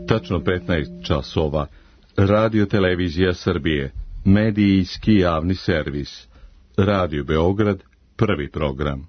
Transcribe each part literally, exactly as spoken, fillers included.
Tačno petnaest časova. Radio Televizija Srbije. Medijski javni servis. Radio Beograd. Prvi program.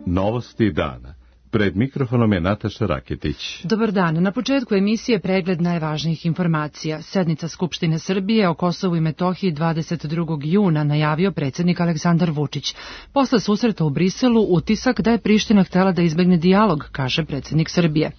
Novosti dana. Pred mikrofonom je Nataša Raketić. Dobar dan. Na početku emisije pregled najvažnijih informacija. Sednica Skupštine Srbije o Kosovu i Metohiji dvadeset drugog juna najavio predsjednik Aleksandar Vučić. Posle susreta u Briselu utisak da je Priština htela da izbegne dijalog, kaže predsjednik Srbije.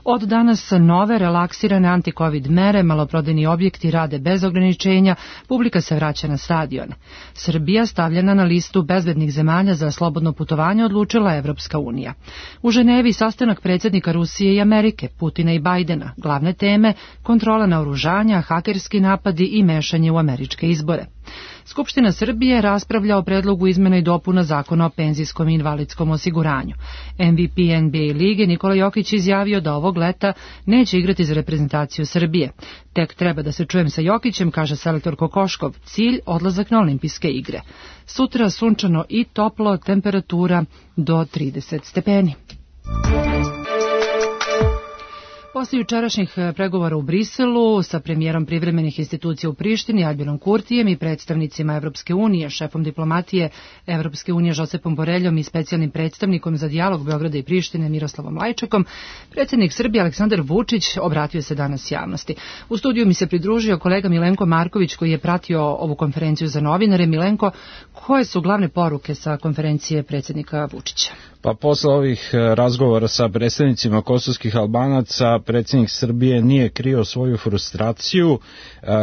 Od danas nove relaksirane antikovid mere, maloprodajni objekti rade bez ograničenja, publika se vraća na stadione. Srbija stavljena na listu bezbednih zemalja za slobodno putovanje odlučila Evropska unija. U Ženevi sastanak predsjednika Rusije i Amerike, Putina i Bajdena, glavne teme, kontrola naoružanja, hakerski napadi i mešanje u američke izbore. Skupština Srbije raspravlja o predlogu izmena i dopuna zakona o penzijskom i invalidskom osiguranju. M V P N B A lige Nikola Jokić izjavio da ovog leta neće igrati za reprezentaciju Srbije. Tek treba da se čujem sa Jokićem, kaže selektor Kokoškov, cilj odlazak na olimpijske igre. Sutra sunčano i toplo, temperatura do trideset stepeni. Posle jučerašnjih pregovora u Briselu sa premijerom privremenih institucija u Prištini Albinom Kurtijem i predstavnicima Evropske unije, šefom diplomatije Evropske unije Josepom Boreljom i specijalnim predstavnikom za dijalog Beograda i Prištine Miroslavom Lajčakom, predsjednik Srbije Aleksandar Vučić obratio se danas javnosti. U studiju mi se pridružio kolega Milenko Marković koji je pratio ovu konferenciju za novinare. Milenko, koje su glavne poruke sa konferencije predsjednika Vučića? Pa posle ovih razgovora sa predstavnicima kosovskih Albanaca, predsjednik Srbije nije krio svoju frustraciju,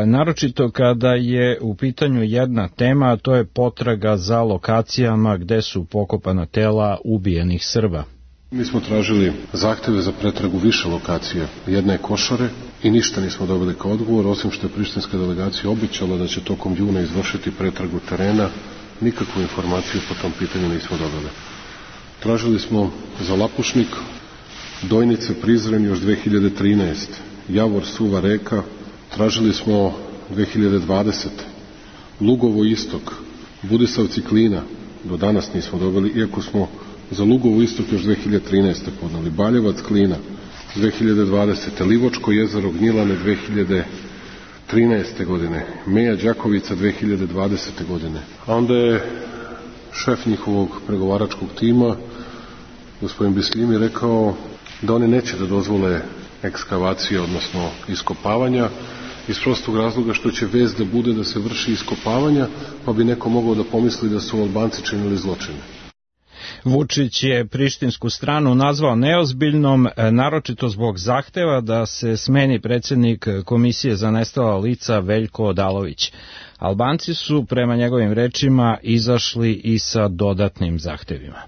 naročito kada je u pitanju jedna tema, a to je potraga za lokacijama gde su pokopana tela ubijenih Srba. Mi smo tražili zahtjeve za pretragu više lokacija. Jedna je Košare i ništa nismo dobili kao odgovor, osim što je prištinska delegacija obećala da će tokom juna izvršiti pretragu terena. Nikakvu informaciju po tom pitanju nismo dobili. Tražili smo za Lapušnik, Dojnice, Prizren još dve hiljade trinaeste. Javor, Suva reka, tražili smo dve hiljade dvadesete. Lugovo istok, Budisavci, Klina, do danas nismo dobili, iako smo za Lugovo istok još dve hiljade trinaeste podnali. Baljevac, Klina, dve hiljade dvadesete. Livočko jezero, Gnjilane, dve hiljade trinaeste godine. Meja Đakovica, dve hiljade dvadesete godine. A onda je šef njihovog pregovaračkog tima, gospodin Bislimi, rekao da oni neće da dozvole ekskavacije, odnosno iskopavanja, iz prostog razloga što će vest da bude da se vrši iskopavanja, pa bi neko mogao da pomisli da su Albanci činili zločine. Vučić je prištinsku stranu nazvao neozbiljnom, naročito zbog zahteva da se smeni predsjednik Komisije za nestala lica Veljko Odalović. Albanci su, prema njegovim rečima, izašli i sa dodatnim zahtevima.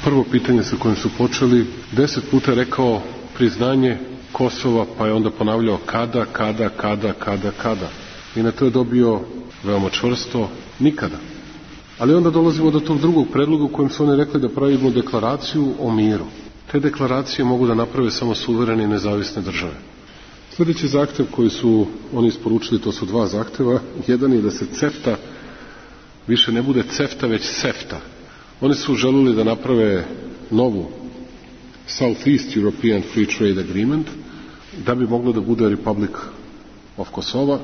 Prvo pitanje sa kojim su počeli, deset puta rekao priznanje Kosova, pa je onda ponavljao kada, kada, kada, kada, kada. I na to je dobio veoma čvrsto nikada. Ali onda dolazimo do tog drugog predloga u kojem su oni rekli da pravimo deklaraciju o miru. Te deklaracije mogu da naprave samo suverene i nezavisne države. Sljedeći zahtev koji su oni isporučili, to su dva zahteva. Jedan je da se CEFTA više ne bude CEFTA, već SEFTA. Oni su želeli da naprave novu Southeast European Free Trade Agreement, da bi moglo da bude Republic of Kosova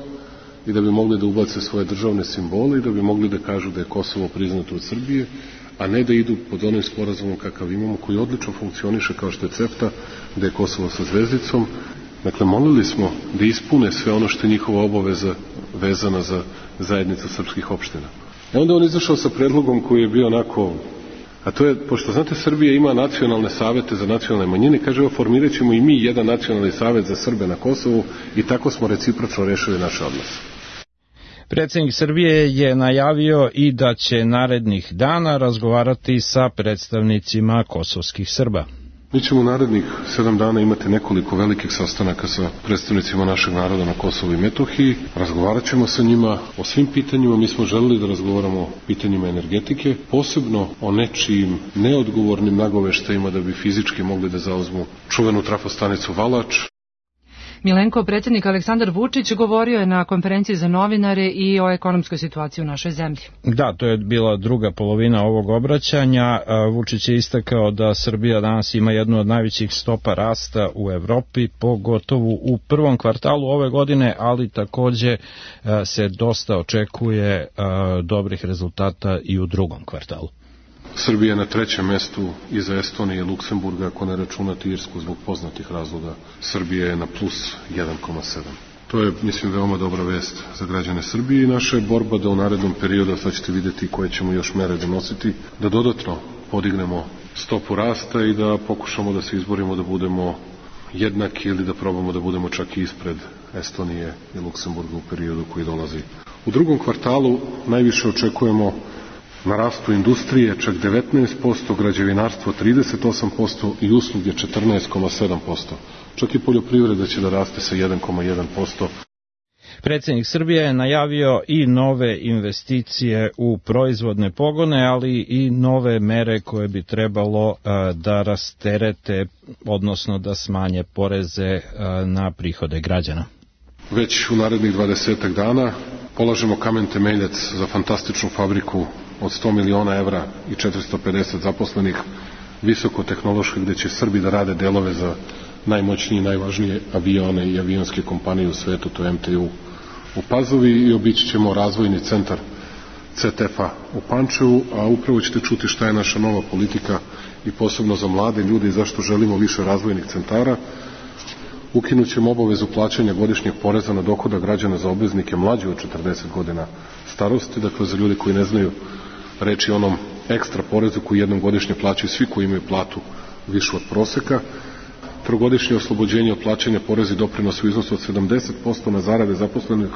i da bi mogli da ubace svoje državne simbole i da bi mogli da kažu da je Kosovo priznato od Srbije, a ne da idu pod onim sporazumom kakav imamo, koji odlično funkcioniše kao što je CEFTA, da je Kosovo sa zvezdicom. Dakle, molili smo da ispune sve ono što je njihova obaveza vezana za zajednicu srpskih opština. I onda on izašao sa predlogom koji je bio onako, a to je, pošto znate, Srbija ima nacionalne savete za nacionalne manjine, kaže, evo, formirat ćemo i mi jedan nacionalni savet za Srbe na Kosovu i tako smo recipročno rešili naše odnose. Predsjednik Srbije je najavio i da će narednih dana razgovarati sa predstavnicima kosovskih Srba. Mi ćemo u narednih sedam dana imati nekoliko velikih sastanaka sa predstavnicima našeg naroda na Kosovu i Metohiji. Razgovarat ćemo sa njima o svim pitanjima. Mi smo želeli da razgovaramo o pitanjima energetike, posebno o nečijim neodgovornim nagoveštajima da bi fizički mogli da zauzmu čuvenu trafostanicu Valač. Milenko, predsjednik Aleksandar Vučić govorio je na konferenciji za novinare i o ekonomskoj situaciji u našoj zemlji. Da, to je bila druga polovina ovog obraćanja. Vučić je istakao da Srbija danas ima jednu od najvećih stopa rasta u Evropi, pogotovo u prvom kvartalu ove godine, ali takođe se dosta očekuje dobrih rezultata i u drugom kvartalu. Srbija je na trećem mestu iza Estonije i Luksemburga, ako ne računate Irsku zbog poznatih razloga. Srbija je na plus jedan zarez sedam. To je, mislim, veoma dobra vest za građane Srbije i naša je borba da u narednom periodu, sad ćete vidjeti koje ćemo još mere donositi, da dodatno podignemo stopu rasta i da pokušamo da se izborimo da budemo jednaki ili da probamo da budemo čak i ispred Estonije i Luksemburga u periodu koji dolazi. U drugom kvartalu najviše očekujemo na rastu industrije čak devetnaest posto, građevinarstvo trideset osam posto i usluge četrnaest zarez sedam posto. Čak i poljoprivreda će da raste sa jedan zarez jedan posto. Predsjednik Srbije je najavio i nove investicije u proizvodne pogone, ali i nove mere koje bi trebalo da rasterete, odnosno da smanje poreze na prihode građana. Već u narednih dvadesetak dana polažemo kamen temeljac za fantastičnu fabriku od sto miliona evra i četiristo pedeset zaposlenih, visokotehnoloških, gde će Srbi da rade delove za najmoćnije i najvažnije avione i avionske kompanije u svetu, to je em te u u Pazovi, i obići ćemo razvojni centar ce te ef a u Pančevu, a upravo ćete čuti šta je naša nova politika i posebno za mlade ljude i zašto želimo više razvojnih centara. Ukinut ćemo obavezu plaćanja godišnjeg poreza na dohodak građana za obveznike mlađe od četrdeset godina starosti, dakle za ljude koji ne znaju reći onom ekstra porezu koji jednom godišnje plaćaju svi koji imaju platu višu od proseka. Trogodišnje oslobođenje od plaćanja poreza i doprinosa u iznosu od sedamdeset posto na zarade zaposlenih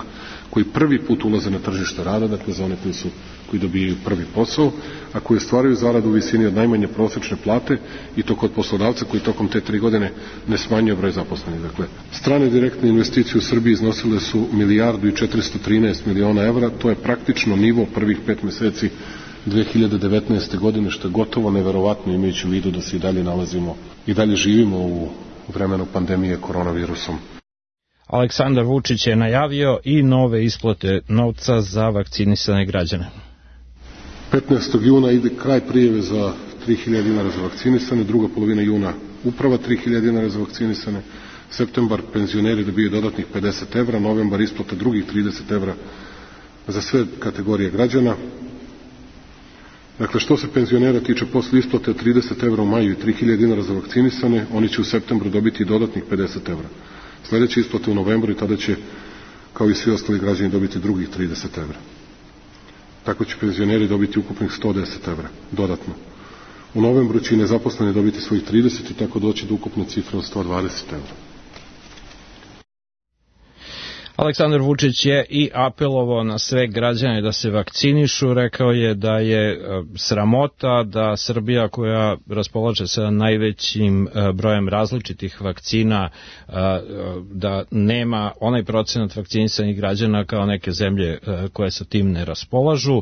koji prvi put ulaze na tržište rada, dakle za one koji, su, koji dobijaju prvi posao, a koji ostvaraju zaradu u visini od najmanje prosečne plate, i to kod poslodavca koji tokom te tri godine ne smanjuje broj zaposlenih. Dakle, strane direktne investicije u Srbiji iznosile su milijardu i četiristo trinaest miliona evra, to je praktično nivo prvih pet meseci dve hiljade devetnaeste. godine, što je gotovo neverovatno imajući u vidu da se i dalje nalazimo i dalje živimo u vremenu pandemije koronavirusom. Aleksandar Vučić je najavio i nove isplate novca za vakcinisane građane. petnaestog juna ide kraj prijave za tri hiljade dinara za vakcinisane, druga polovina juna uprava tri hiljade dinara za vakcinisane, septembar penzioneri dobiju dodatnih pedeset evra, novembar isplata drugih trideset evra za sve kategorije građana. Dakle, što se penzionera tiče, posle isplate trideset evra u maju i tri hiljade dinara za vakcinisane, oni će u septembru dobiti dodatnih pedeset evra. Sledeće isplate u novembru i tada će, kao i svi ostali građani, dobiti drugih trideset evra. Tako će penzioneri dobiti ukupnih sto deset evra, dodatno. U novembru će i nezaposleni dobiti svojih trideset i tako doći do ukupne cifre od sto dvadeset evra. Aleksandar Vučić je i apelovao na sve građane da se vakcinišu, rekao je da je sramota da Srbija, koja raspolaže sa najvećim brojem različitih vakcina, da nema onaj procenat vakcinisanih građana kao neke zemlje koje sa tim ne raspolažu.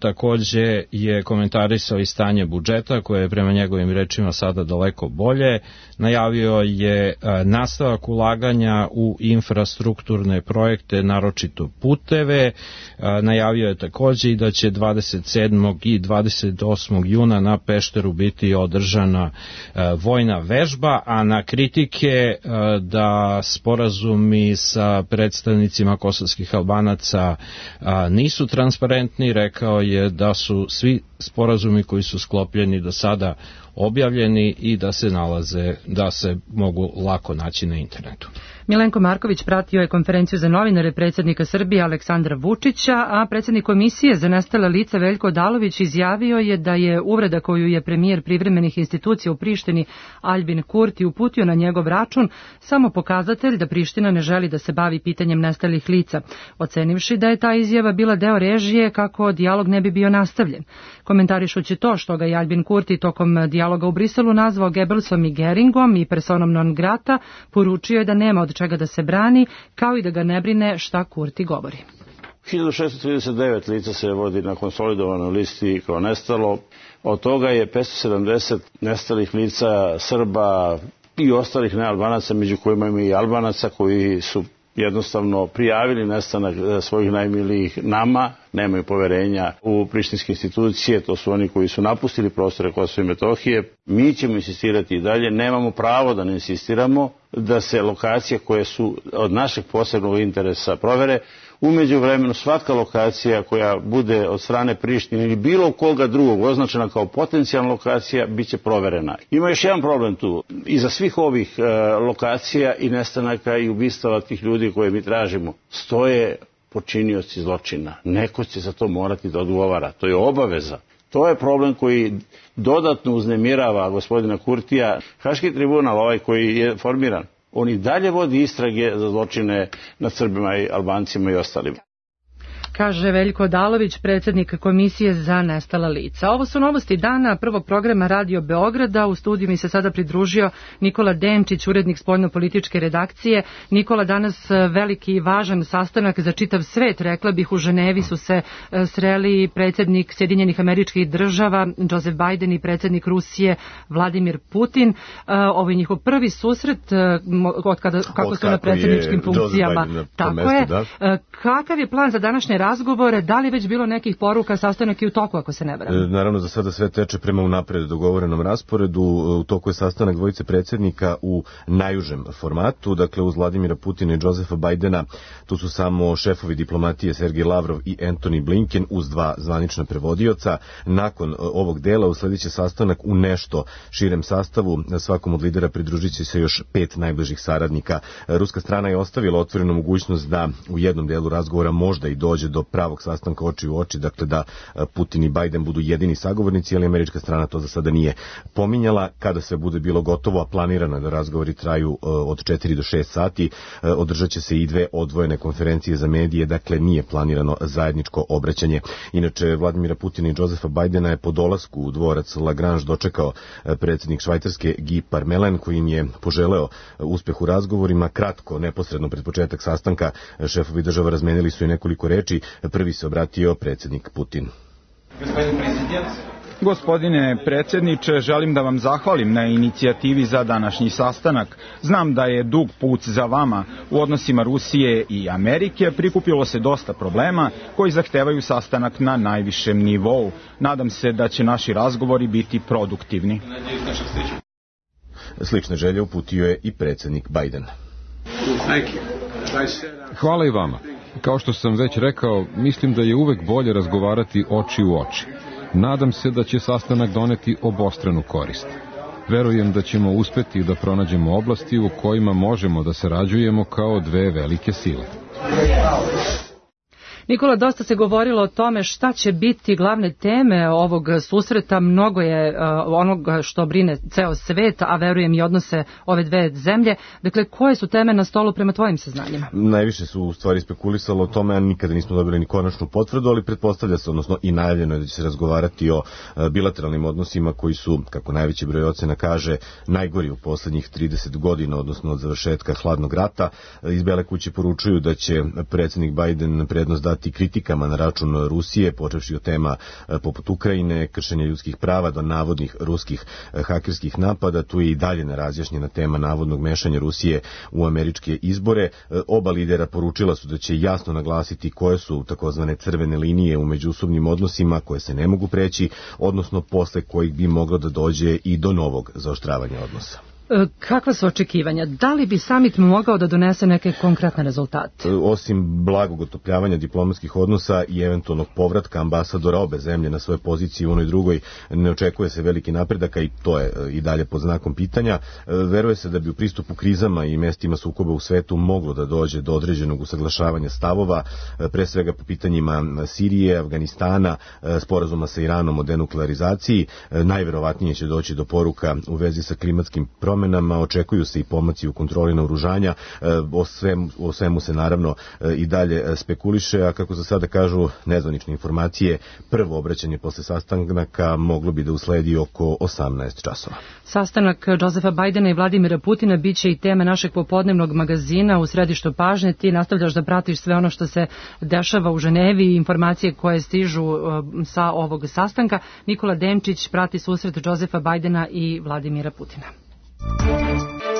Takođe je komentarisao i stanje budžeta, koje je prema njegovim rečima sada daleko bolje. Najavio je nastavak ulaganja u infrastrukturne projekte, naročito puteve. Najavio je takođe i da će dvadeset sedmog i dvadeset osmog juna na Pešteru biti održana vojna vežba, a na kritike da sporazumi sa predstavnicima kosovskih Albanaca nisu transparentni, rekao je da su svi sporazumi koji su sklopljeni do sada objavljeni i da se nalaze, da se mogu lako naći na internetu. Milenko Marković pratio je konferenciju za novinare predsjednika Srbije Aleksandra Vučića, a predsjednik Komisije za nestala lica Veljko Odalović izjavio je da je uvreda koju je premijer privremenih institucija u Prištini Aljbin Kurti uputio na njegov račun samo pokazatelj da Priština ne želi da se bavi pitanjem nestalih lica, ocenivši da je ta izjava bila deo režije kako dijalog ne bi bio nastavljen. Komentarišući to što ga je Aljbin Kurti tokom dijaloga u Briselu nazvao Gebelsom i Geringom i personom non grata, poručio je da nema od čega da se brani, kao i da ga ne brine šta Kurti govori. hiljadu šessto trideset devet lica se vodi na konsolidovanoj listi kao nestalo. Od toga je petsto sedamdeset nestalih lica Srba, i ostalih nealbanaca, među kojima ima i Albanaca koji su jednostavno prijavili nestanak svojih najmilijih nama, nemaju poverenja u prištinske institucije, to su oni koji su napustili prostore Kosova i Metohije. Mi ćemo insistirati i dalje, nemamo pravo da ne insistiramo da se lokacije koje su od našeg posebnog interesa provere. U međuvremenu svaka lokacija koja bude od strane Prištine ili bilo koga drugog označena kao potencijalna lokacija bit će proverena. Ima još jedan problem tu. Iza svih ovih e, lokacija i nestanaka i ubistava tih ljudi koje mi tražimo stoje počinioci zločina. Neko će za to morati da odgovara. To je obaveza. To je problem koji dodatno uznemirava gospodina Kurtija. Haški tribunal, ovaj koji je formiran, on i dalje vodi istrage za zločine nad Srbima i Albancima i ostalima. Kaže Veljko Odalović, predsjednik Komisije za nestala lica. Ovo su novosti dana prvog programa Radio Beograda. U studiju mi se sada pridružio Nikola Denčić, urednik spoljno-političke redakcije. Nikola, danas veliki i važan sastanak za čitav svet. Rekla bih, u Ženevi su se sreli predsjednik Sjedinjenih Američkih Država Joseph Biden i predsjednik Rusije Vladimir Putin. Ovo je njihov prvi susret od kada, kako od su na predsjedničkim funkcijama. Tako mestu, je. Da. Kakav je plan za današnje razgovore, da li već bilo nekih poruka, sastanak i u toku, ako se ne varam? E, naravno, za sada sve teče prema unapred dogovorenom rasporedu. U toku je sastanak dvojice predsjednika u najužem formatu, dakle uz Vladimira Putina i Josefa Bajdena. Tu su samo šefovi diplomatije Sergej Lavrov i Antony Blinken uz dva zvanična prevodioca. Nakon ovog dela usledit će sastanak u nešto širem sastavu. Svakom od lidera pridružit će se još pet najbližih saradnika. Ruska strana je ostavila otvorenu mogućnost da u jednom delu razgovora možda i dođe do pravog sastanka oči u oči, dakle da Putin i Biden budu jedini sagovornici, ali američka strana to za sada nije pominjala. Kada se bude bilo gotovo, a planirano je da razgovori traju od četiri do šest sati, održat će se i dve odvojene konferencije za medije, dakle nije planirano zajedničko obraćanje. Inače, Vladimira Putina i Josefa Bajdena je po dolasku u dvorac Lagrange dočekao predsjednik Švajcarske Guy Parmelin, koji im je poželeo uspeh u razgovorima. Kratko, neposredno pred početak sastanka, šefovi država razmenili su i nekoliko reči. Prvi se obratio predsjednik Putin. Gospodine predsjedniče, želim da vam zahvalim na inicijativi za današnji sastanak. Znam da je dug put za vama. U odnosima Rusije i Amerike prikupilo se dosta problema koji zahtevaju sastanak na najvišem nivou. Nadam se da će naši razgovori biti produktivni. Slične želje uputio je i predsjednik Biden. Hvala i vama. Kao što sam već rekao, mislim da je uvek bolje razgovarati oči u oči. Nadam se da će sastanak doneti obostranu korist. Verujem da ćemo uspeti da pronađemo oblasti u kojima možemo da sarađujemo kao dve velike sile. Nikola, dosta se govorilo o tome šta će biti glavne teme ovog susreta. Mnogo je uh, onoga što brine ceo svet, a verujem i odnose ove dve zemlje. Dakle, koje su teme na stolu prema tvojim saznanjima? Najviše su u stvari spekulisalo o tome, a nikada nismo dobili ni konačnu potvrdu, ali pretpostavlja se, odnosno i najavljeno je da će se razgovarati o uh, bilateralnim odnosima koji su, kako najveći broj ocena kaže, najgori u poslednjih trideset godina, odnosno od završetka hladnog rata. Iz Bele kuće poručuju da će predsjednik Biden prednost dati kritikama na račun Rusije, počevši od tema poput Ukrajine, kršenja ljudskih prava do navodnih ruskih hakerskih napada. Tu je i dalje nerazjašnjena tema navodnog mešanja Rusije u američke izbore. Oba lidera poručila su da će jasno naglasiti koje su takozvane crvene linije u međusobnim odnosima koje se ne mogu preći, odnosno posle kojih bi moglo da dođe i do novog zaoštravanja odnosa. Kakva su očekivanja? Da li bi samit mogao da donese neke konkretne rezultate? Osim blagog otopljavanja diplomatskih odnosa i eventualnog povratka ambasadora obe zemlje na svoje pozicije u onoj drugoj, ne očekuje se veliki napredak, i to je i dalje pod znakom pitanja. Veruje se da bi u pristupu krizama i mestima sukoba u svetu moglo da dođe do određenog usaglašavanja stavova, pre svega po pitanjima Sirije, Afganistana, sporazuma sa Iranom o denuklearizaciji. Najverovatnije će doći do poruka u vezi sa klimatskim promjenama. Očekuju se i pomaci u kontroli naoružanja. O svemu, o svemu se naravno i dalje spekuliše, a kako za sada kažu nezvanične informacije, prvo obraćanje posle sastanaka moglo bi da usledi oko osamnaest časova. Sastanak Josefa Bajdena i Vladimira Putina biće i tema našeg popodnevnog magazina u središtu pažnje. Ti nastavljaš da pratiš sve ono što se dešava u Ženevi i informacije koje stižu sa ovog sastanka. Nikola Denčić prati susret Josefa Bajdena i Vladimira Putina. Thank you.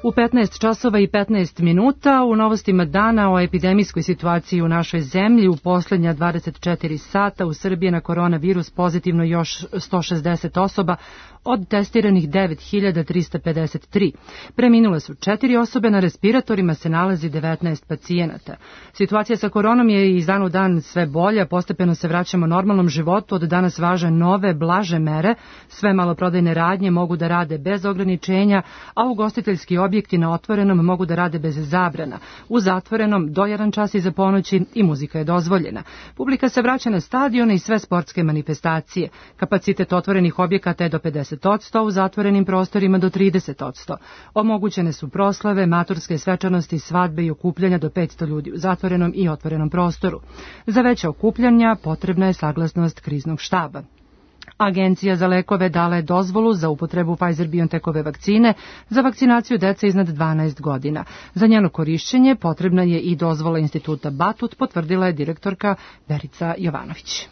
U petnaest časova i petnaest minuta u novostima dana o epidemijskoj situaciji u našoj zemlji u posljednja dvadeset četiri sata u Srbiji na koronavirus pozitivno još sto šezdeset osoba, od testiranih devet hiljada trista pedeset tri. Preminule su četiri osobe, na respiratorima se nalazi devetnaest pacijenata. Situacija sa koronom je iz dan u dan sve bolja, postepeno se vraćamo normalnom životu, od danas važe nove, blaže mere, sve maloprodajne radnje mogu da rade bez ograničenja, a ugostiteljski objekti na otvorenom mogu da rade bez zabrana. U zatvorenom do jedan čas iza ponoći i muzika je dozvoljena. Publika se vraća na stadione i sve sportske manifestacije. Kapacitet otvorenih objekata je do pedeset odsto, u zatvorenim prostorima do trideset odsto. Omogućene su proslave, maturske svečanosti, svadbe i okupljanja do petsto ljudi u zatvorenom i otvorenom prostoru. Za veća okupljanja potrebna je saglasnost kriznog štaba. Agencija za lekove dala je dozvolu za upotrebu Pfizer-BioNTechove vakcine za vakcinaciju dece iznad dvanaest godina. Za njeno korišćenje potrebna je i dozvola instituta Batut, potvrdila je direktorka Verica Jovanović.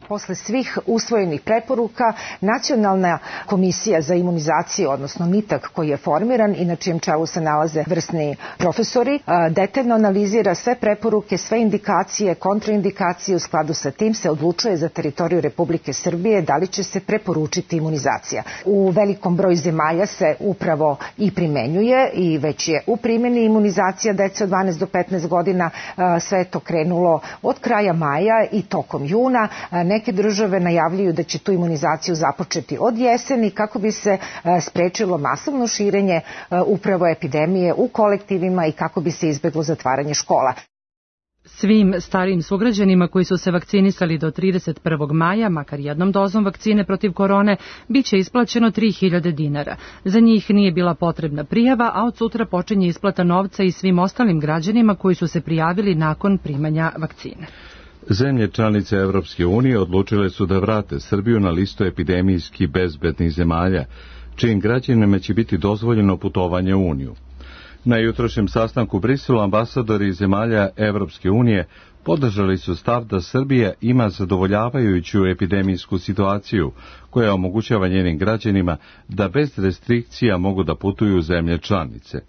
Posle svih usvojenih preporuka, Nacionalna komisija za imunizaciju, odnosno NITAK, koji je formiran i na čijem čelu se nalaze vrsni profesori, detaljno analizira sve preporuke, sve indikacije, kontraindikacije. U skladu sa tim se odlučuje za teritoriju Republike Srbije da li će se preporučiti imunizacija. U velikom broju zemalja se upravo i primenjuje i već je u primjeni imunizacija dece od dvanaest do petnaest godina. Sve je to krenulo od kraja maja i tokom juna. Neke države najavljuju da će tu imunizaciju započeti od jeseni kako bi se sprečilo masovno širenje upravo epidemije u kolektivima i kako bi se izbeglo zatvaranje škola. Svim starijim sugrađanima koji su se vakcinisali do trideset prvog maja, makar jednom dozom vakcine protiv korone, bit će isplaćeno tri hiljade dinara. Za njih nije bila potrebna prijava, a od sutra počinje isplata novca i svim ostalim građanima koji su se prijavili nakon primanja vakcine. Zemlje članice Evropske unije odlučile su da vrate Srbiju na listu epidemijski bezbednih zemalja, čijim građanima će biti dozvoljeno putovanje u Uniju. Na jutrošnjem sastanku u Briselu ambasadori zemalja Evropske unije podržali su stav da Srbija ima zadovoljavajuću epidemijsku situaciju koja omogućava njenim građanima da bez restrikcija mogu da putuju u zemlje članice.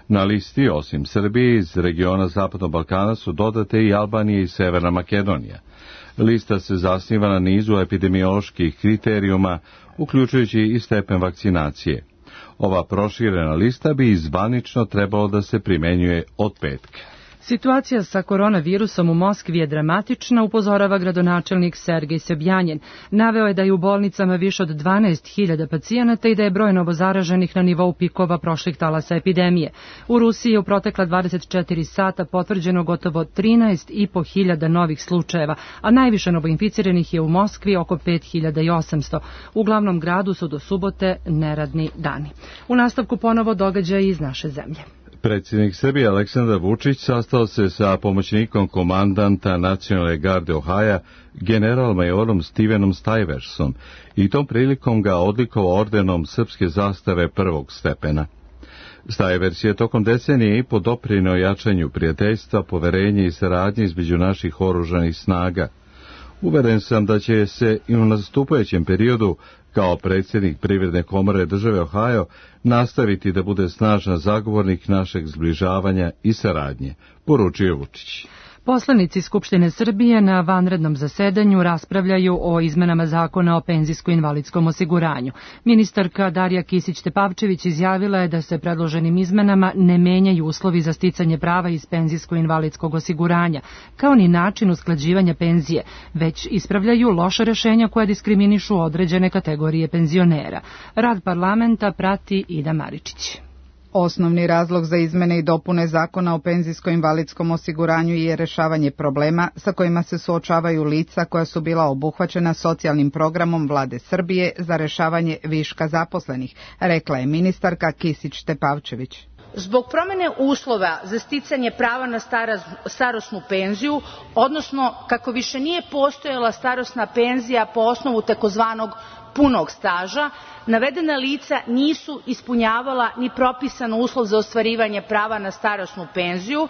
Na listi, osim Srbije, iz regiona Zapadnog Balkana su dodate i Albanija i Severna Makedonija. Lista se zasniva na nizu epidemioloških kriterijuma, uključujući i stepen vakcinacije. Ova proširena lista bi zvanično trebalo da se primenjuje od petka. Situacija sa koronavirusom u Moskvi je dramatična, upozorava gradonačelnik Sergej Sobjanin. Naveo je da je u bolnicama više od dvanaest hiljada pacijenata i da je broj novozaraženih na nivou pikova prošlih talasa epidemije. U Rusiji je u protekla dvadeset četiri sata potvrđeno gotovo trinaest i po hiljada novih slučajeva, a najviše novoinficiranih je u Moskvi oko pet hiljada osamsto. U glavnom gradu su do subote neradni dani. U nastavku ponovo događaji iz naše zemlje. Predsjednik Srbije Aleksandar Vučić sastao se sa pomoćnikom komandanta Nacionalne garde Ohaja, general-majorom Stevenom Stiversom, i tom prilikom ga odlikovao ordenom srpske zastave prvog stepena. Stivers je tokom decenije i po doprineo jačanju prijateljstva, poverenja i saradnje između naših oružanih snaga. Uveren sam da će se i u nastupajućem periodu, kao predsjednik Privredne komore države Ohio, nastaviti da bude snažan zagovornik našeg zbližavanja i saradnje, poručio Vučić. Poslanici Skupštine Srbije na vanrednom zasedanju raspravljaju o izmenama zakona o penzijsko-invalidskom osiguranju. Ministarka Darija Kisić-Tepavčević izjavila je da se predloženim izmenama ne menjaju uslovi za sticanje prava iz penzijsko-invalidskog osiguranja, kao ni način usklađivanja penzije, već ispravljaju loša rešenja koja diskriminišu određene kategorije penzionera. Rad parlamenta prati Ida Maričić. Osnovni razlog za izmene i dopune zakona o penzijsko-invalidskom osiguranju je rešavanje problema sa kojima se suočavaju lica koja su bila obuhvaćena socijalnim programom Vlade Srbije za rešavanje viška zaposlenih, rekla je ministarka Kisić-Tepavčević. Zbog promene uslova za sticanje prava na starosnu penziju, odnosno kako više nije postojala starosna penzija po osnovu takozvanog punog staža, navedena lica nisu ispunjavala ni propisan uslov za ostvarivanje prava na starosnu penziju,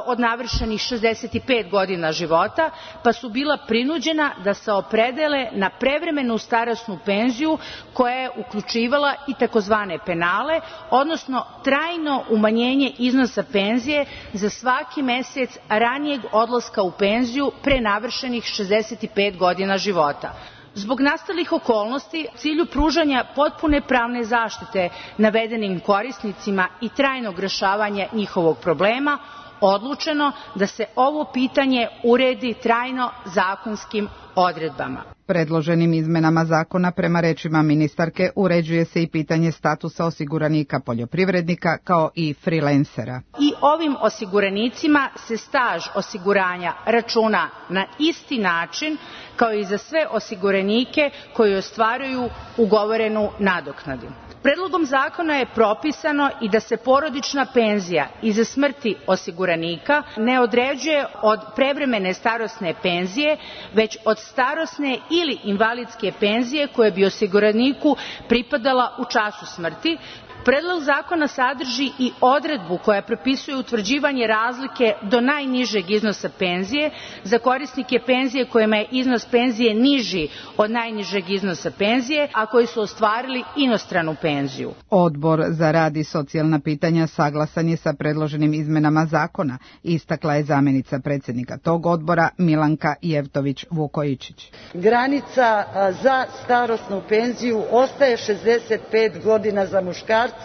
od navršenih šezdeset pet godina života, pa su bila prinuđena da se opredele na prevremenu starosnu penziju koja je uključivala i takozvane penale, odnosno trajno umanjenje iznosa penzije za svaki mesec ranijeg odlaska u penziju pre navršenih šezdeset pet godina života. Zbog nastalih okolnosti, u cilju pružanja potpune pravne zaštite navedenim korisnicima i trajnog rešavanja njihovog problema, odlučeno da se ovo pitanje uredi trajno zakonskim odredbama. Predloženim izmenama zakona, prema rečima ministarke, uređuje se i pitanje statusa osiguranika poljoprivrednika kao i freelancera. I ovim osiguranicima se staž osiguranja računa na isti način kao i za sve osiguranike koji ostvaruju ugovorenu nadoknadu. Predlogom zakona je propisano i da se porodična penzija iza smrti osiguranika ne određuje od prevremene starosne penzije, već od starosne ili invalidske penzije koje bi osiguraniku pripadala u času smrti. Predlog zakona sadrži i odredbu koja propisuje utvrđivanje razlike do najnižeg iznosa penzije za korisnike penzije kojima je iznos penzije niži od najnižeg iznosa penzije, a koji su ostvarili inostranu penziju. Odbor za rad i socijalna pitanja saglasan je sa predloženim izmenama zakona, istakla je zamenica predsjednika tog odbora Milanka Jevtović-Vukojičić. Granica za starosnu penziju ostaje šezdeset pet godina za muškarce,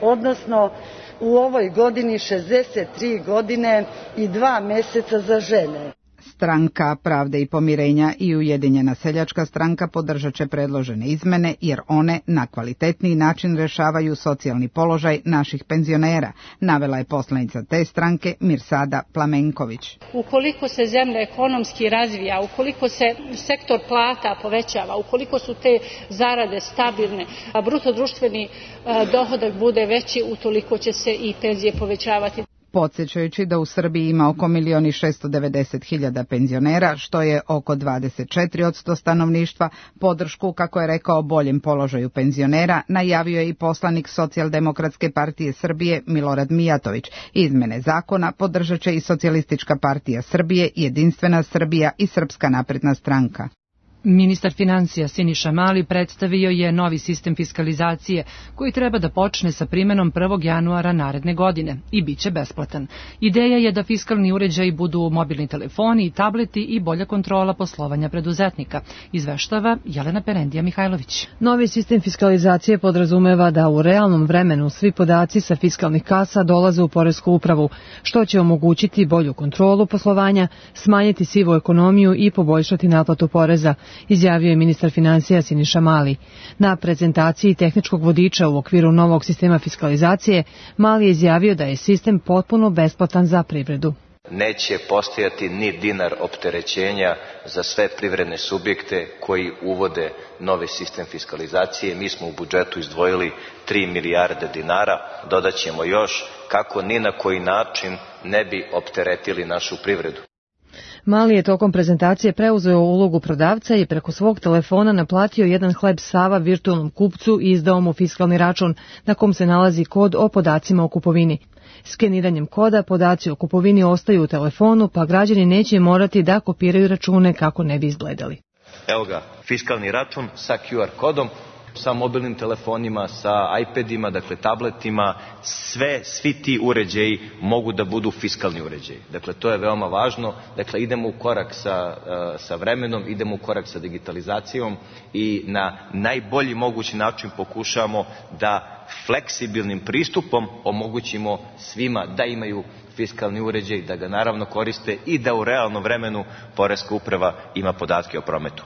odnosno u ovoj godini šezdeset tri godine i dva meseca za žene. Stranka Pravde i pomirenja i Ujedinjena seljačka stranka podržat će predložene izmene jer one na kvalitetniji način rešavaju socijalni položaj naših penzionera, navela je poslanica te stranke Mirsada Plamenković. Ukoliko se zemlja ekonomski razvija, ukoliko se sektor plata povećava, ukoliko su te zarade stabilne, a bruto društveni dohodak bude veći, utoliko će se i penzije povećavati. Podsjećajući da u Srbiji ima oko milion i šesto devedeset hiljada penzionera, što je oko dvadeset četiri posto stanovništva, podršku, kako je rekao, boljem položaju penzionera, najavio je i poslanik Socijaldemokratske partije Srbije Milorad Mijatović. Izmene zakona podržat će i Socijalistička partija Srbije, Jedinstvena Srbija i Srpska napredna stranka. Ministar financija Siniša Mali predstavio je novi sistem fiskalizacije koji treba da počne sa primenom prvog januara naredne godine i bit će besplatan. Ideja je da fiskalni uređaji budu mobilni telefoni, tableti i bolja kontrola poslovanja preduzetnika, izveštava Jelena Perendija Mihajlović. Novi sistem fiskalizacije podrazumeva da u realnom vremenu svi podaci sa fiskalnih kasa dolaze u poresku upravu, što će omogućiti bolju kontrolu poslovanja, smanjiti sivu ekonomiju i poboljšati naplatu poreza, izjavio je ministar financija Siniša Mali. Na prezentaciji tehničkog vodiča u okviru novog sistema fiskalizacije, Mali je izjavio da je sistem potpuno besplatan za privredu. Neće postojati ni dinar opterećenja za sve privredne subjekte koji uvode novi sistem fiskalizacije. Mi smo u budžetu izdvojili tri milijarde dinara, dodaćemo još kako ni na koji način ne bi opteretili našu privredu. Mali je tokom prezentacije preuzeo ulogu prodavca i preko svog telefona naplatio jedan hleb sava virtualnom kupcu i izdao mu fiskalni račun na kom se nalazi kod o podacima o kupovini. Skeniranjem koda podaci o kupovini ostaju u telefonu, pa građani neće morati da kopiraju račune kako ne bi izgledali. Evo ga, fiskalni račun sa Q R kodom, sa mobilnim telefonima, sa iPadima, dakle tabletima, sve, svi ti uređaji mogu da budu fiskalni uređaji. Dakle, to je veoma važno. Dakle, idemo u korak sa, sa vremenom, idemo u korak sa digitalizacijom i na najbolji mogući način pokušamo da fleksibilnim pristupom omogućimo svima da imaju fiskalni uređaj, da ga naravno koriste i da u realnom vremenu Poreska uprava ima podatke o prometu.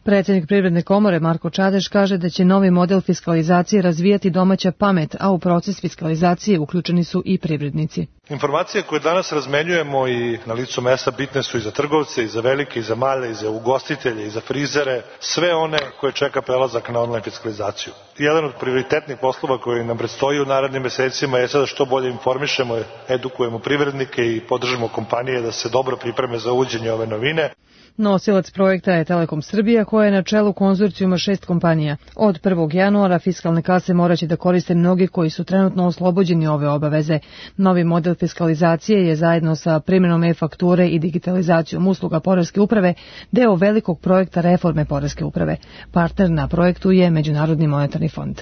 Predsjednik Privredne komore Marko Čadeš kaže da će novi model fiskalizacije razvijati domaća pamet, a u proces fiskalizacije uključeni su i privrednici. Informacije koje danas razmenjujemo i na licu mesta bitne su i za trgovce, i za velike, i za male, i za ugostitelje, i za frizere, sve one koje čeka prelazak na online fiskalizaciju. Jedan od prioritetnih poslova koji nam predstoji u narednim mesecima je sada što bolje informišemo, edukujemo privrednike i podržimo kompanije da se dobro pripreme za uvođenje ove novine. Nosilac projekta je Telekom Srbija, koja je na čelu konzorcijuma šest kompanija. Od prvog januara fiskalne kase moraće da koriste mnogi koji su trenutno oslobođeni ove obaveze. Novi model fiskalizacije je zajedno sa primjenom e-fakture i digitalizacijom usluga Poreske uprave deo velikog projekta reforme Poreske uprave. Partner na projektu je Međunarodni monetarni fond.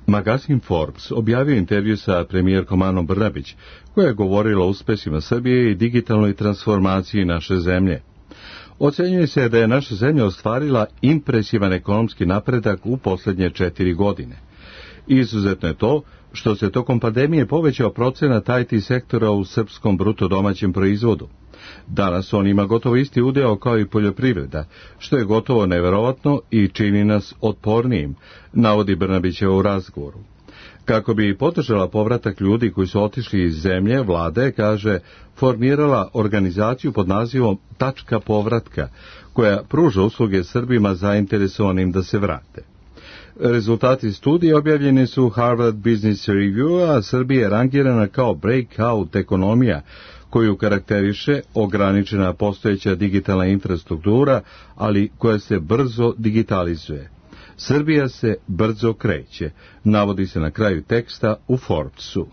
Magazin Forbes objavio intervju sa premijerkom Anom Brnabić, koja je govorila o uspesima Srbije i digitalnoj transformaciji naše zemlje. Ocenjuje se da je naša zemlja ostvarila impresivan ekonomski napredak u posljednje četiri godine. Izuzetno je to što se tokom pandemije povećao procenat I T sektora u srpskom bruto domaćem proizvodu. Danas on ima gotovo isti udeo kao i poljoprivreda, što je gotovo neverovatno i čini nas otpornijim, navodi Brnabićeva u razgovoru. Kako bi podržala povratak ljudi koji su otišli iz zemlje, vlada je, kaže, formirala organizaciju pod nazivom Tačka povratka, koja pruža usluge Srbima zainteresovanim da se vrate. Rezultati studije objavljeni su u Harvard Business Review, a Srbija je rangirana kao breakout ekonomija, koju karakteriše ograničena postojeća digitalna infrastruktura, ali koja se brzo digitalizuje. Srbija se brzo kreće, navodi se na kraju teksta u Forbesu.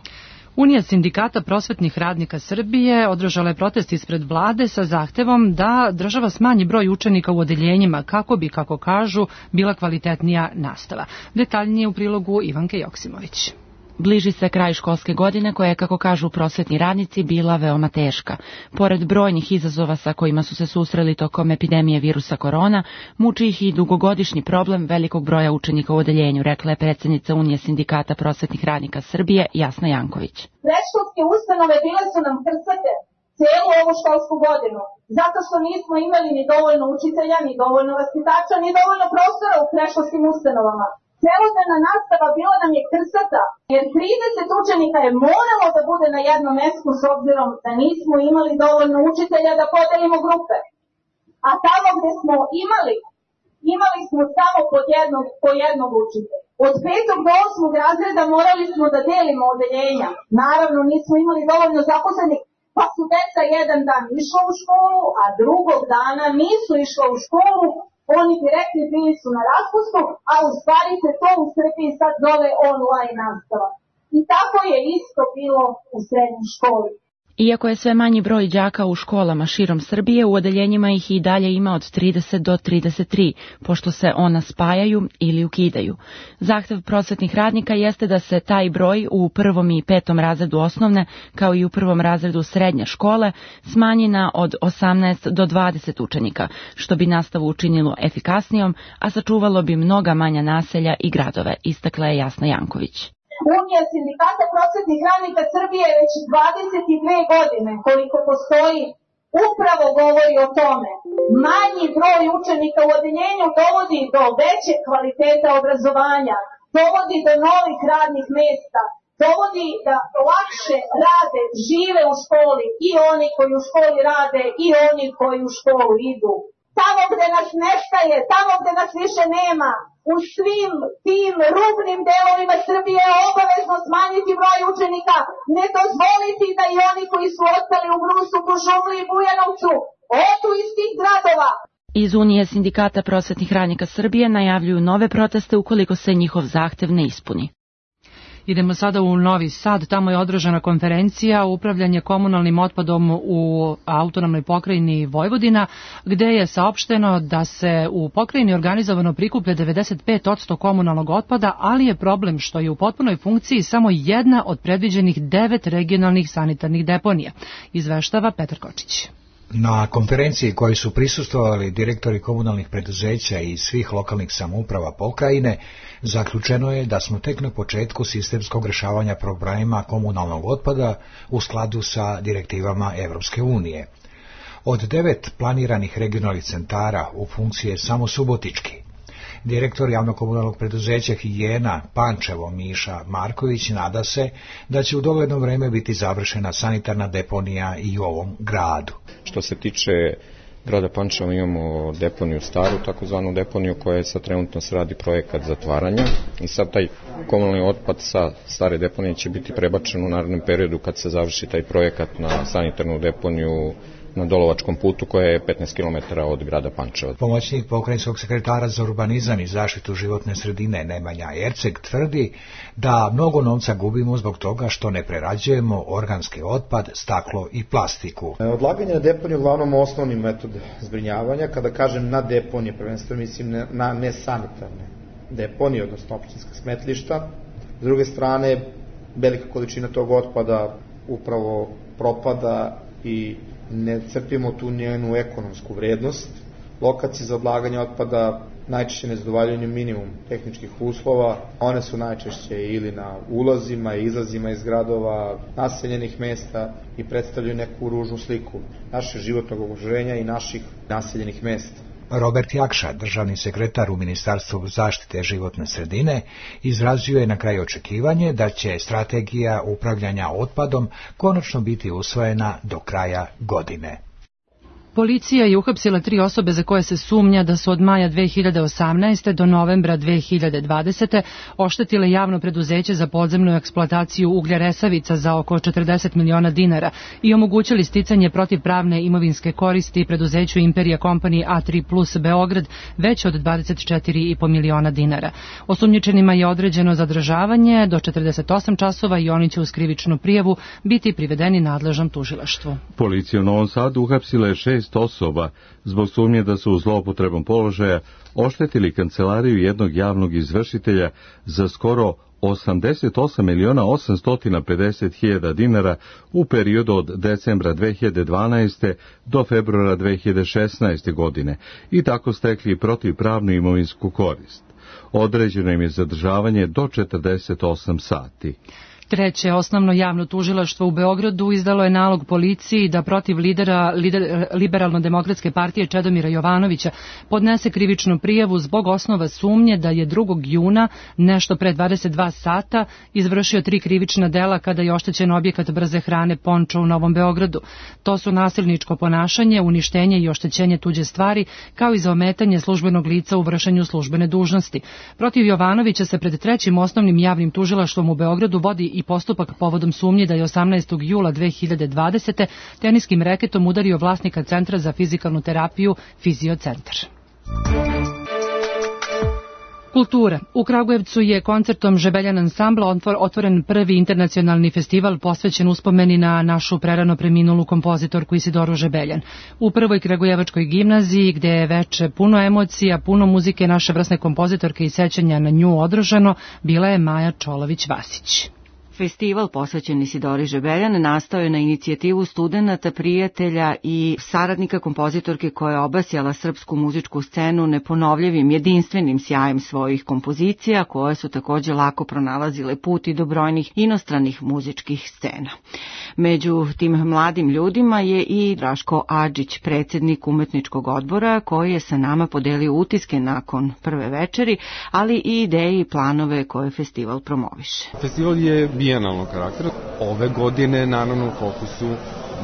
Unija sindikata prosvetnih radnika Srbije održala je protest ispred vlade sa zahtevom da država smanji broj učenika u odeljenjima kako bi, kako kažu, bila kvalitetnija nastava. Detaljnije u prilogu Ivanke Joksimović. Bliži se kraj školske godine koja je, kako kažu prosvetni radnici, bila veoma teška. Pored brojnih izazova sa kojima su se susreli tokom epidemije virusa korona, muči ih i dugogodišnji problem velikog broja učenika u odeljenju, rekla je predsjednica Unije sindikata prosvetnih radnika Srbije Jasna Janković. Predškolske ustanove bile su nam krcate celu ovu školsku godinu, zato što nismo imali ni dovoljno učitelja, ni dovoljno vaspitača, ni dovoljno prostora u predškolskim ustanovama. Celodnevna nastava bila nam je krsata, jer trideset učenika je moralo da bude na jednom mestu s obzirom da nismo imali dovoljno učitelja da podelimo grupe. A tamo gde smo imali, imali smo samo po jednog, po jednog učitelja. Od petog do osmog razreda morali smo da delimo odeljenja. Naravno nismo imali dovoljno zaposlenih, pa su deca jedan dan išla u školu, a drugog dana nisu išla u školu. Oni direktni bili su na raspustu, a u stvari se to u Srbiji sad zove online nastava. I tako je isto bilo u srednjoj školi. Iako je sve manji broj đaka u školama širom Srbije, u odeljenjima ih i dalje ima od trideset do trideset tri, pošto se ona spajaju ili ukidaju. Zahtev prosvetnih radnika jeste da se taj broj u prvom i petom razredu osnovne, kao i u prvom razredu srednje škole, smanji na od osamnaest do dvadeset učenika, što bi nastavu učinilo efikasnijom, a sačuvalo bi mnoga manja naselja i gradove, istakla je Jasna Janković. Unija sindikata prosvetnih radnika Srbije već dvadeset dve godine koliko postoji upravo govori o tome. Manji broj učenika u odeljenju dovodi do veće kvaliteta obrazovanja, dovodi do novih radnih mesta, dovodi da lakše rade, žive u školi i oni koji u školi rade i oni koji u školu idu. Tamo gde nas nestaje, tamo gde nas više nema, u svim tim rubnim delovima Srbije je obavezno smanjiti broj učenika, ne dozvoliti da i oni koji su ostali u Brusu, Kuršumliji i Bujanovcu odu iz tih gradova. Iz Unije sindikata prosvetnih radnika Srbije najavljuju nove proteste ukoliko se njihov zahtev ne ispuni. Idemo sada u Novi Sad, tamo je održana konferencija upravljanje komunalnim otpadom u autonomnoj pokrajini Vojvodina, gde je saopšteno da se u pokrajini organizovano prikuplja devedeset pet posto komunalnog otpada, ali je problem što je u potpunoj funkciji samo jedna od predviđenih devet regionalnih sanitarnih deponija, izveštava Petar Kočić. Na konferenciji koji su prisustvovali direktori komunalnih preduzeća i svih lokalnih samouprava pokrajine, zaključeno je da smo tek na početku sistemskog rešavanja problema komunalnog otpada u skladu sa direktivama Evropske unije. Od devet planiranih regionalnih centara u funkciji je samo Subotički. Direktor javno-komunalnog preduzeća Higijena Pančevo Miša Marković nada se da će u dogledno vreme biti završena sanitarna deponija i u ovom gradu. Što se tiče grada Pančeva imamo deponiju staru, takozvanu deponiju koja je sad trenutno se radi projekat zatvaranja i sad taj komunalni otpad sa stare deponije će biti prebačen u narednom periodu kad se završi taj projekat na sanitarnu deponiju na Dolovačkom putu koja je petnaest kilometara od grada Pančeva. Pomoćnik pokrajinskog sekretara za urbanizam i zaštitu životne sredine Nemanja Erceg tvrdi da mnogo novca gubimo zbog toga što ne prerađujemo organski otpad, staklo i plastiku. Odlaganje na deponiju je uglavnom osnovni metod zbrinjavanja. Kada kažem na deponije, prvenstveno mislim na nesanitarne deponije, odnosno općinska smetlišta. S druge strane, velika količina tog otpada upravo propada i ne crpimo tu njenu ekonomsku vrednost. Lokacije za odlaganje otpada najčešće ne zadovoljavaju minimum tehničkih uslova. One su najčešće ili na ulazima i izlazima iz gradova, naseljenih mesta i predstavljaju neku ružnu sliku našeg životnog okruženja i naših naseljenih mesta. Robert Jakša, državni sekretar u Ministarstvu zaštite životne sredine, izrazio je na kraju očekivanje da će strategija upravljanja otpadom konačno biti usvojena do kraja godine. Policija je uhapsila tri osobe za koje se sumnja da su od maja dve hiljade osamnaeste. do novembra dve hiljade dvadesete. oštetile javno preduzeće za podzemnu eksploataciju uglja Resavica za oko četrdeset miliona dinara i omogućili sticanje protivpravne imovinske koristi preduzeću Imperija Company A tri plus Beograd već od dvadeset četiri i po miliona dinara. Osumnjičenima je određeno zadržavanje do četrdeset osam časova i oni će uz krivičnu prijavu biti privedeni nadležnom tužilaštvu. Policija u Novom Sadu uhapsila je šest osoba zbog sumnje da su u zloupotrebom položaja oštetili kancelariju jednog javnog izvršitelja za skoro osamdeset osam miliona osamsto pedeset hiljada dinara u periodu od decembra dve hiljade dvanaeste. do februara dve hiljade šesnaeste. godine i tako stekli protivpravnu imovinsku korist. Određeno im je zadržavanje do četrdeset osam sati. Treće osnovno javno tužilaštvo u Beogradu izdalo je nalog policiji da protiv lidera lider, Liberalno-demokratske partije Čedomira Jovanovića podnese krivičnu prijavu zbog osnova sumnje da je drugog juna, nešto pre dvadeset dva sata, izvršio tri krivična dela kada je oštećen objekat brze hrane Pončo u Novom Beogradu. To su nasilničko ponašanje, uništenje i oštećenje tuđe stvari, kao i za ometanje službenog lica u vršenju službene dužnosti. Protiv Jovanovića se pred trećim osnovnim javnim tužilaštvom u Beogradu vodi i postupak povodom sumnje da je osamnaestog jula dve hiljade dvadesete. teniskim reketom udario vlasnika Centra za fizikalnu terapiju Fiziocentar. Kultura. U Kragujevcu je koncertom Žebeljan ansambla otvoren prvi internacionalni festival posvećen uspomeni na našu prerano preminulu kompozitorku Isidoru Žebeljan. U prvoj kragujevačkoj gimnaziji, gde je veče puno emocija, puno muzike naše vrsne kompozitorke i sećanja na nju održano, bila je Maja Čolović-Vasić. Festival posvećen Isidori Žebeljan nastao je na inicijativu studenata, prijatelja i saradnika kompozitorke koja je obasjala srpsku muzičku scenu neponovljivim, jedinstvenim sjajem svojih kompozicija, koje su takođe lako pronalazile put i do brojnih inostranih muzičkih scena. Među tim mladim ljudima je i Draško Adžić, predsjednik umetničkog odbora, koji je sa nama podelio utiske nakon prve večeri, ali i ideje i planove koje festival promoviše. Festival je bijenalnog karaktera. Ove godine, naravno, u fokusu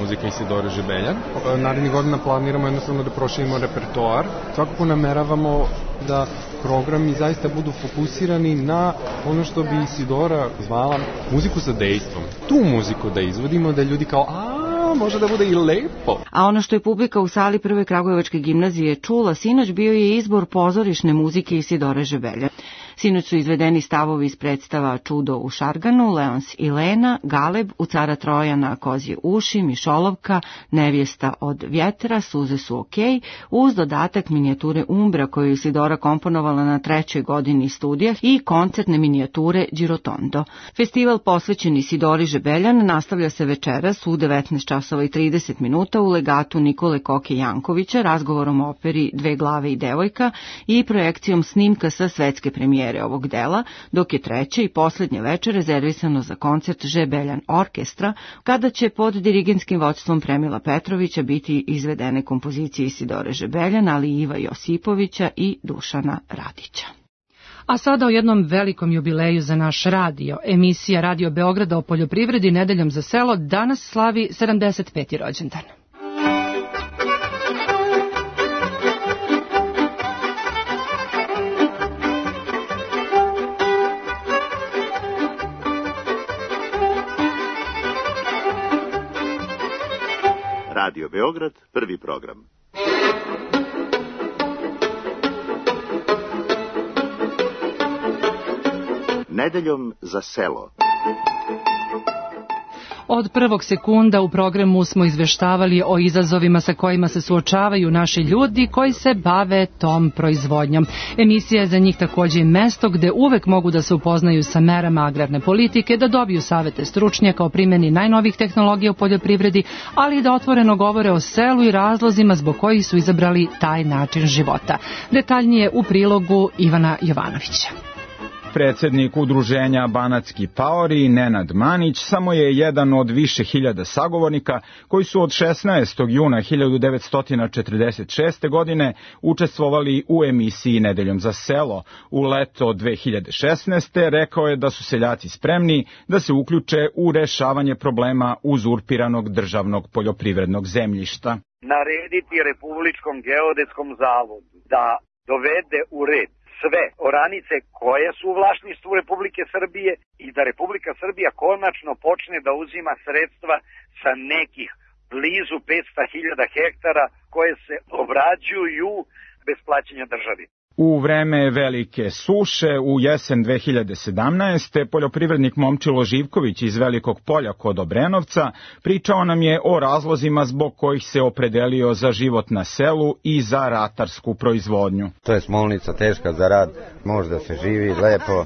muzika Isidore Žebeljan. Narednih godina planiramo jednostavno da proširimo repertoar. Svakako nameravamo da programi zaista budu fokusirani na ono što bi Isidora zvala muziku sa dejstvom. Tu muziku da izvodimo, da ljudi kao, a može da bude i lepo. A ono što je publika u sali Prve Kragujevačke gimnazije čula sinoć bio je izbor pozorišne muzike Isidore Žebeljan. Sinoć su izvedeni stavovi iz predstava Čudo u Šarganu, Leons i Lena, Galeb, u Cara Trojana, Kozje uši, Mišolovka, Nevjesta od vjetra, Suze su okej, uz dodatak minijature Umbra koju je Isidora komponovala na trećoj godini studija i koncertne minijature Girotondo. Festival posvećen Isidori Žebeljan nastavlja se večeras u devetnaest časova i trideset minuta u legatu Nikole Koke Jankovića, razgovorom o operi Dve glave i devojka i projekcijom snimka sa svetske premijere ovog dela, dok je treće i posljednje večer rezervisano za koncert Žebeljan orkestra, kada će pod dirigentskim vođstvom Premila Petrovića biti izvedene kompozicije Isidore Žebeljan, ali i Iva Josipovića i Dušana Radića. A sada o jednom velikom jubileju za naš radio. Emisija Radio Beograda o poljoprivredi Nedeljom za selo danas slavi sedamdeset peti rođendan. Radio Beograd, prvi program. Nedeljom za selo. Od prvog sekunda u programu smo izveštavali o izazovima sa kojima se suočavaju naši ljudi koji se bave tom proizvodnjom. Emisija je za njih također i mesto gde uvek mogu da se upoznaju sa merama agrarne politike, da dobiju savete stručnjaka o primjeni najnovih tehnologija u poljoprivredi, ali i da otvoreno govore o selu i razlozima zbog kojih su izabrali taj način života. Detaljnije u prilogu Ivana Jovanovića. Predsednik udruženja Banatski paori, Nenad Manić, samo je jedan od više hiljada sagovornika koji su od šesnaestog juna hiljadu devetsto četrdeset šeste. godine učestvovali u emisiji Nedeljom za selo. U leto dve hiljade šesnaeste. rekao je da su seljaci spremni da se uključe u rešavanje problema uzurpiranog državnog poljoprivrednog zemljišta. Narediti Republičkom geodetskom zavodu da dovede u red sve oranice koje su u vlasništvu Republike Srbije i da Republika Srbija konačno počne da uzima sredstva sa nekih blizu petsto hiljada hektara koje se obrađuju bez plaćanja državi. U vreme velike suše u jesen dve hiljade sedamnaeste. poljoprivrednik Momčilo Živković iz Velikog Polja kod Obrenovca pričao nam je o razlozima zbog kojih se opredelio za život na selu i za ratarsku proizvodnju. To je smolnica teška za rad, možda se živi lepo,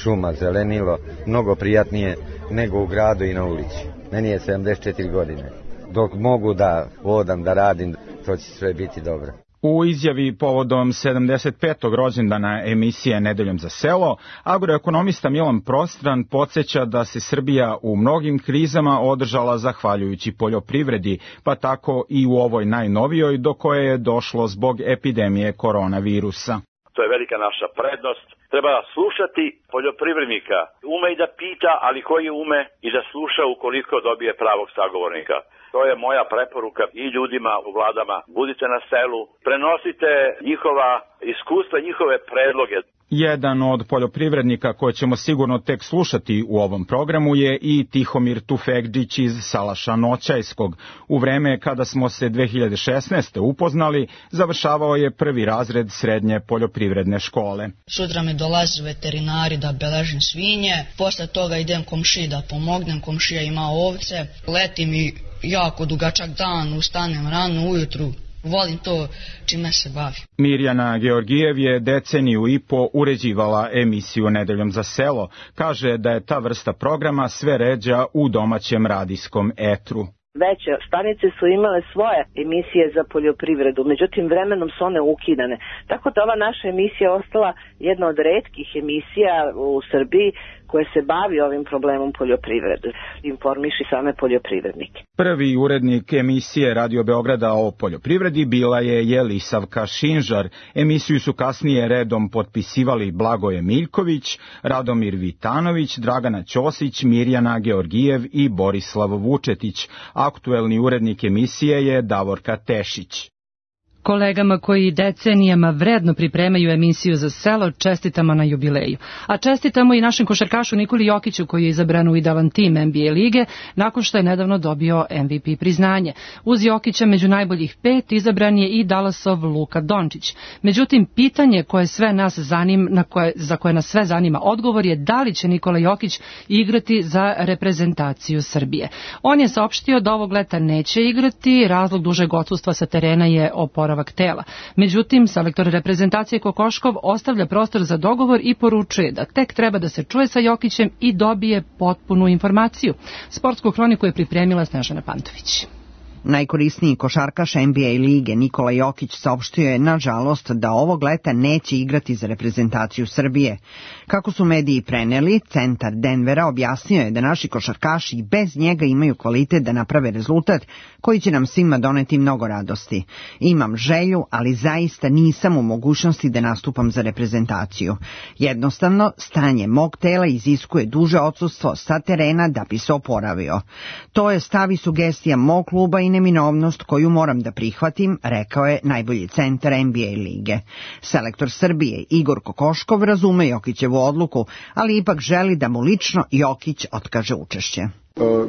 šuma, zelenilo, mnogo prijatnije nego u gradu i na ulici. Meni je sedamdeset četiri godine. Dok mogu da vodam, da radim, to će sve biti dobro. U izjavi povodom sedamdeset petog rođendana emisije Nedeljom za selo, agroekonomista Milan Prostran podsjeća da se Srbija u mnogim krizama održala zahvaljujući poljoprivredi, pa tako i u ovoj najnovijoj do koje je došlo zbog epidemije koronavirusa. To je velika naša prednost. Treba slušati poljoprivrednika. Ume i da pita, ali koji ume i da sluša ukoliko dobije pravog sagovornika. To je moja preporuka i ljudima u vladama. Budite na selu, prenosite njihova iskustva, njihove predloge. Jedan od poljoprivrednika koje ćemo sigurno tek slušati u ovom programu je i Tihomir Tufegđić iz Salaša Noćajskog. U vreme kada smo se dve hiljade šesnaeste. upoznali, završavao je prvi razred srednje poljoprivredne škole. Sutra mi dolaze veterinari da beležim svinje, posle toga idem komšiji da pomognem, komšija ima ovce, leti mi jako dugačak dan, ustanem rano ujutru. Volim to čime se bavi. Mirjana Georgijev je deceniju i po uređivala emisiju Nedeljom za selo. Kaže da je ta vrsta programa sve ređa u domaćem radijskom etru. Veće stanice su imale svoje emisije za poljoprivredu, međutim vremenom su one ukidane. Tako da ova naša emisija je ostala jedna od retkih emisija u Srbiji koje se bavi ovim problemom poljoprivrede, informiši same poljoprivrednike. Prvi urednik emisije Radio Beograda o poljoprivredi bila je Jelisavka Šinžar. Emisiju su kasnije redom potpisivali Blagoje Miljković, Radomir Vitanović, Dragana Ćosić, Mirjana Georgijev i Borislav Vučetić. Aktuelni urednik emisije je Davorka Tešić. Kolegama koji decenijama vredno pripremaju emisiju za selo, čestitamo na jubileju. A čestitamo i našem košarkašu Nikoli Jokiću koji je izabran u idealan tim N B A lige nakon što je nedavno dobio M V P priznanje. Uz Jokića među najboljih pet izabran je i Dallasov Luka Dončić. Međutim, pitanje koje sve nas zanima, na koje, za koje nas sve zanima odgovor je da li će Nikola Jokić igrati za reprezentaciju Srbije. On je saopštio da ovog leta neće igrati, razlog dužeg odsustva sa terena je oporavak tela. Međutim, selektor reprezentacije Kokoškov ostavlja prostor za dogovor i poručuje da tek treba da se čuje sa Jokićem i dobije potpunu informaciju. Sportsku hroniku je pripremila Snežana Pantović. Najkorisniji košarkaš N B A lige Nikola Jokić saopštio je nažalost da ovog leta neće igrati za reprezentaciju Srbije. Kako su mediji preneli, centar Denvera objasnio je da naši košarkaši i bez njega imaju kvalitet da naprave rezultat koji će nam svima doneti mnogo radosti. Imam želju, ali zaista nisam u mogućnosti da nastupam za reprezentaciju. Jednostavno, stanje mog tela iziskuje duže odsustvo sa terena da bi se oporavio. To je stav i sugestija mog kluba i neminovnost koju moram da prihvatim, rekao je najbolji centar N B A lige. Selektor Srbije Igor Kokoškov razume Jokićevu odluku, ali ipak želi da mu lično Jokić otkaže učešće.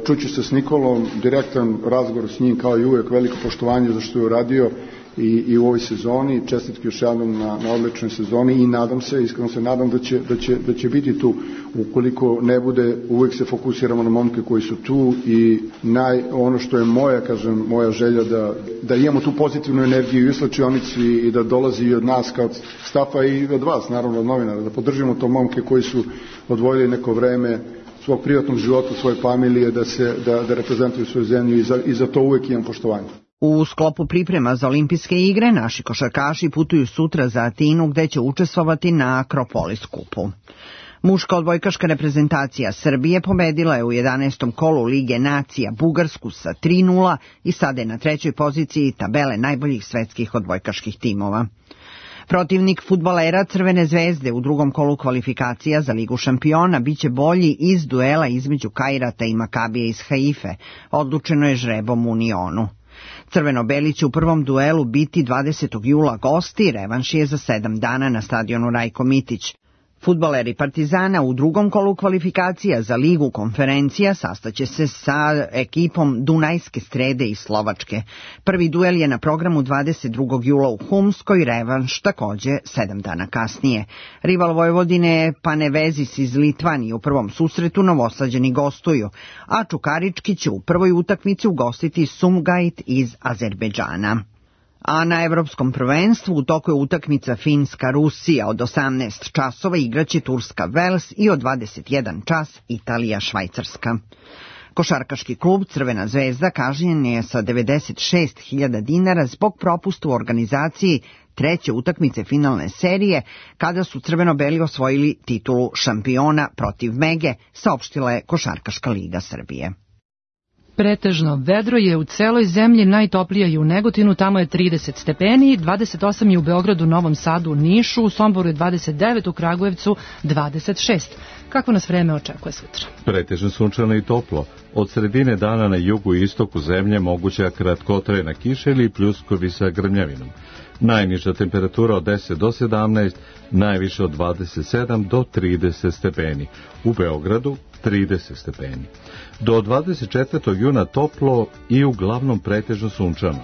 Čuću se s Nikolom, direktan razgovor s njim kao i uvek, veliko poštovanje za što je uradio i, i u ovoj sezoni, čestitke još jednom na, na odličnoj sezoni i nadam se, iskreno se nadam da će, da, će, da će biti tu. Ukoliko ne bude, uvek se fokusiramo na momke koji su tu i naj, ono što je moja, kažem, moja želja da, da imamo tu pozitivnu energiju i u slačionici i da dolazi i od nas kao stafa i od vas, naravno od novinara, da podržimo to momke koji su odvojili neko vreme svog privatnog života, svoje familije, da se da, da reprezentuju svoju zemlju i za, i za to uvek imam poštovanje. U sklopu priprema za olimpijske igre naši košarkaši putuju sutra za Atinu gde će učestvovati na Akropolis kupu. Muška odbojkaška reprezentacija Srbije pobedila je u jedanaestom kolu Lige nacija Bugarsku sa tri nula i sada je na trećoj poziciji tabele najboljih svetskih odbojkaških timova. Protivnik fudbalera Crvene zvezde u drugom kolu kvalifikacija za Ligu šampiona biće bolji iz duela između Kairata i Makabija iz Haife, odlučeno je žrebom u Unionu. Crveno-beli će u prvom duelu biti dvadesetog jula gosti, revanš je za sedam dana na stadionu Rajko Mitić. Fudbaleri Partizana u drugom kolu kvalifikacija za Ligu konferencija sastaće se sa ekipom Dunajske Strede iz Slovačke. Prvi duel je na programu dvadeset drugog jula u Humskoj, revanš takođe sedam dana kasnije. Rival Vojvodine je Panevezis iz Litvanije, u prvom susretu Novosađani gostuju, a Čukarički će u prvoj utakmici ugostiti Sumgait iz Azerbejdžana. A na evropskom prvenstvu u toku je utakmica Finska-Rusija od osamnaest časova, igraće Turska-Vels i od dvadeset jedan čas Italija-Švajcarska. Košarkaški klub Crvena zvezda kažnjen je sa devedeset šest hiljada dinara zbog propusta u organizaciji treće utakmice finalne serije kada su crveno-beli osvojili titulu šampiona protiv Mege, saopštila je Košarkaška liga Srbije. Pretežno vedro je u celoj zemlji, najtoplije je u Negotinu, tamo je trideset stepeni, dvadeset osam je u Beogradu, Novom Sadu, Nišu, u Somboru je dvadeset devet, u Kragujevcu dvadeset šest. Kako nas vreme očekuje sutra? Pretežno sunčano i toplo. Od sredine dana na jugu i istoku zemlje moguća kratkotrajna kiša ili pljuskovi sa grmljavinom. Najniža temperatura od deset do sedamnaest, najviše od dvadeset sedam do trideset stepeni. U Beogradu trideset stepeni. Do dvadeset četvrtog juna toplo i uglavnom pretežno sunčano.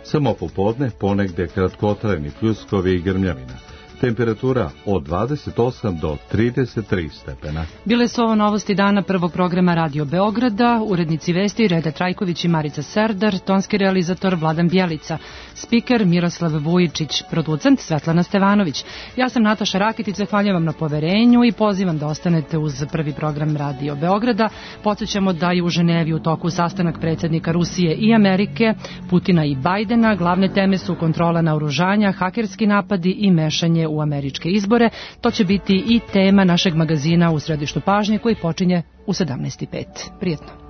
Samo popodne ponegde kratkotrajni pljuskovi i grmljavina. Temperatura od dvadeset osam do trideset tri stepena. Bile su ovo novosti dana prvog programa Radio Beograda, urednici vesti Reda Trajković i Marica Serdar, tonski realizator Vladan Bjelica, spiker Miroslav Vujičić, producent Svetlana Stevanović. Ja sam Nataša Rakitic, zahvaljujem vam na poverenju i pozivam da ostanete uz prvi program Radio Beograda. Podsjećamo da je u Ženevi u toku sastanak predsjednika Rusije i Amerike, Putina i Bajdena. Glavne teme su kontrola naoružanja, hakerski napadi i mešanje u američke izbore. To će biti i tema našeg magazina U središtu pažnje koji počinje u sedamnaest i pet. Prijetno.